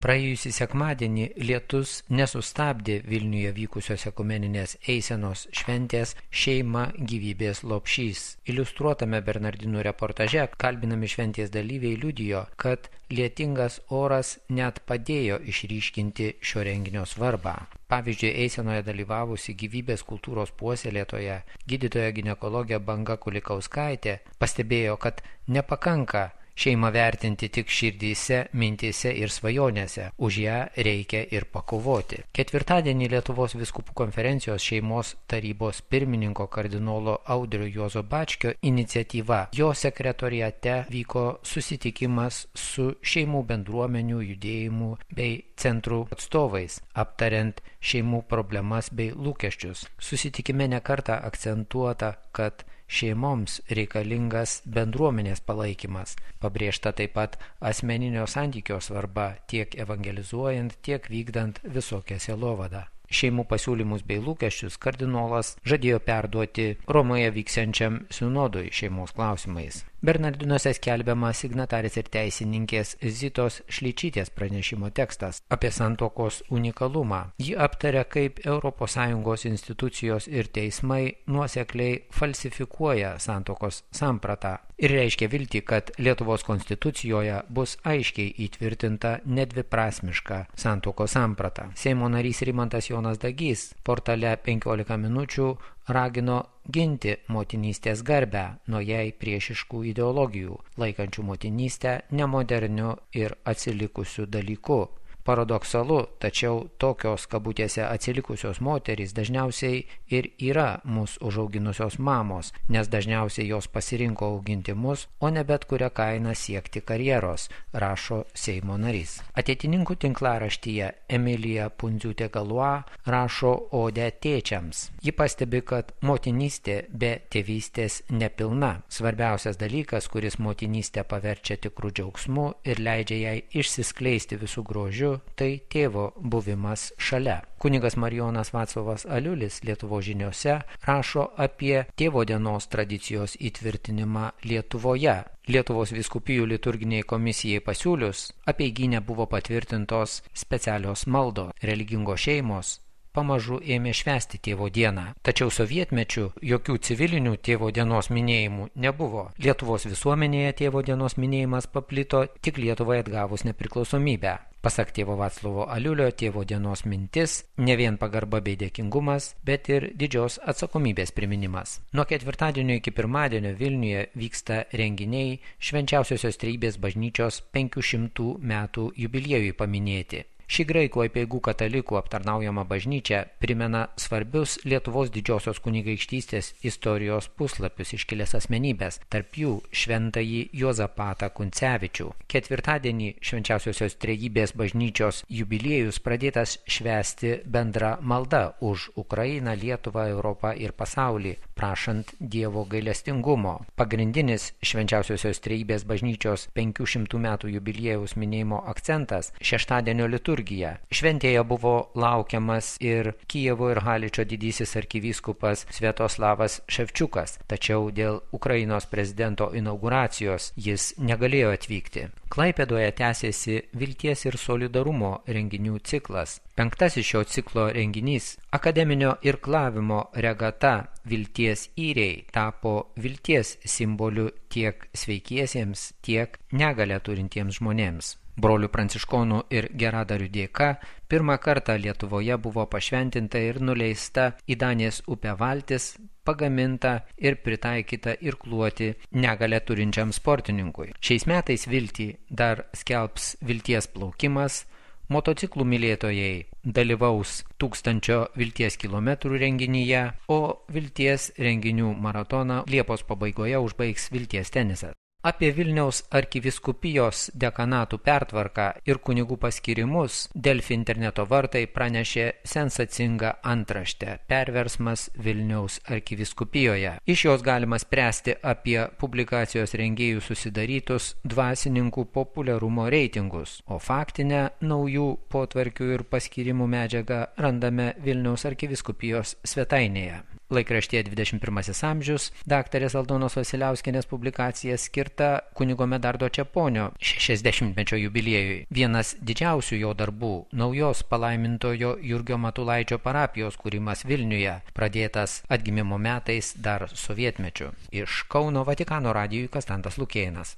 Praėjusį sekmadienį lietus nesustabdė Vilniuje vykusios ekumeninės eisenos šventės Šeima gyvybės lopšys. Iliustruotame Bernardinų reportaže kalbinami šventės dalyviai liudijo, kad lietingas oras net padėjo išryškinti šio renginio svarbą. Pavyzdžiui, eisenoje dalyvavusi gyvybės kultūros puoselėtoja gydytoja ginekologė Banga Kulikauskaitė pastebėjo, kad nepakanka šeimą vertinti tik širdyse, mintyse ir svajonėse, už ją reikia ir pakovoti. Ketvirtadienį Lietuvos vyskupų konferencijos šeimos tarybos pirmininko kardinolo Audrio Juozo Bačkio iniciatyva. Jo sekretoriate vyko susitikimas su šeimų bendruomenių, judėjimų bei centrų atstovais, aptariant šeimų problemas bei lūkesčius. Susitikime nekartą akcentuota, kad šeimoms reikalingas bendruomenės palaikymas. Pabrėžta taip pat asmeninio santykio svarba tiek evangelizuojant, tiek vykdant visokią sielovadą. Šeimų pasiūlymus bei lūkesčius kardinolas žadėjo perduoti Romoje vyksiančiam sinodui šeimos klausimais. Bernardinuose skelbiama signatarės ir teisininkės Zitos Šličytės pranešimo tekstas apie santuokos unikalumą. Ji aptaria, kaip ES institucijos ir teismai nuosekliai falsifikuoja santuokos sampratą ir reiškia viltį, kad Lietuvos konstitucijoje bus aiškiai įtvirtinta nedviprasmiška santuokos samprata. Seimo narys Rimantas Jonas Dagys portale 15 minučių ragino ginti motinystės garbę nuo jai priešiškų ideologijų, laikančių motinystę nemoderniu ir atsilikusiu dalyku. Paradoksalu, tačiau tokios kabutėse atsilikusios moterys dažniausiai ir yra mus užauginusios mamos, nes dažniausiai jos pasirinko auginti mus, o ne bet kurią kainą siekti karjeros, rašo Seimo narys. Ateitininkų tinklaraštyje Emilija Pundziūtė-Galua rašo odę tėčiams. Ji pastebi, kad motinystė be tėvystės nepilna. Svarbiausias dalykas, kuris motinystę paverčia tikrų džiaugsmu ir leidžia jai išsiskleisti visų grožiu, tai tėvo buvimas šalia. Kunigas Marijonas Vaclovas Aliulis Lietuvos žiniose rašo apie tėvo dienos tradicijos įtvirtinimą Lietuvoje. Lietuvos vyskupijų liturginiai komisijai pasiūlius apeigyne buvo patvirtintos specialios maldos. Religingos šeimos pamažu ėmė švęsti tėvo dieną. Tačiau sovietmečiu jokių civilinių tėvo dienos minėjimų nebuvo. Lietuvos visuomenėje tėvo dienos minėjimas paplito tik Lietuvai atgavus nepriklausomybę. Pasak tėvo Vaclovo Aliulio, tėvo dienos mintis ne vien pagarba bei dėkingumas, bet ir didžios atsakomybės priminimas. Nuo ketvirtadienio iki pirmadienio Vilniuje vyksta renginiai Švenčiausiosios Trejybės bažnyčios 500 metų jubiliejui paminėti. Ši graikų apeigų katalikų aptarnaujama bažnyčia primena svarbius Lietuvos didžiosios kunigaikštystės istorijos puslapius iškilęs asmenybės, tarp jų šventąjį Juozapatą Kuncevičių. Ketvirtadienį Švenčiausiosios Trejybės bažnyčios jubiliejus pradėtas švęsti bendra malda už Ukrainą, Lietuvą, Europą ir pasaulį, prašant Dievo gailestingumo. Pagrindinis Švenčiausiosios Trejybės bažnyčios 500 metų jubiliejaus minėjimo akcentas – šeštadienio liturgija. Šventėje buvo laukiamas ir Kijevo ir Haličo didysis arkivyskupas Sviatoslavas Ševčiukas, tačiau dėl Ukrainos prezidento inauguracijos jis negalėjo atvykti. Klaipėdoje tęsėsi Vilties ir solidarumo renginių ciklas. Penktasis šio ciklo renginys – akademinio irklavimo regata Vilties įriai tapo vilties simboliu tiek sveikiesiems, tiek negalią turintiems žmonėms. Brolių pranciškonų ir geradarių dėka pirmą kartą Lietuvoje buvo pašventinta ir nuleista į Danės upę valtis, pagaminta ir pritaikyta irkluoti negalią turinčiam sportininkui. Šiais metais viltį dar skelbs Vilties plaukimas, motociklų mylėtojai dalyvaus 1000 Vilties kilometrų renginyje, o Vilties renginių maratoną Liepos pabaigoje užbaigs Vilties tenisas. Apie Vilniaus arkivyskupijos dekanatų pertvarką ir kunigų paskirimus Delfi interneto vartai pranešė sensacingą antraštę – perversmas Vilniaus arkivyskupijoje. Iš jos galima spręsti apie publikacijos rengėjų susidarytus dvasininkų populiarumo reitingus, o faktinę naujų potvarkių ir paskirimų medžiagą randame Vilniaus arkivyskupijos svetainėje. Laikraštyje 21 amžius daktarės Aldonos Vasiliauskienės publikacija skirta kunigo Medardo Čeponio 60-mečio jubiliejui. Vienas didžiausių jo darbų – naujos palaimintojo Jurgio Matulaičio parapijos kūrimas Vilniuje, pradėtas atgimimo metais dar sovietmečiu. Iš Kauno Vatikano radijui Konstantas Lukėnas.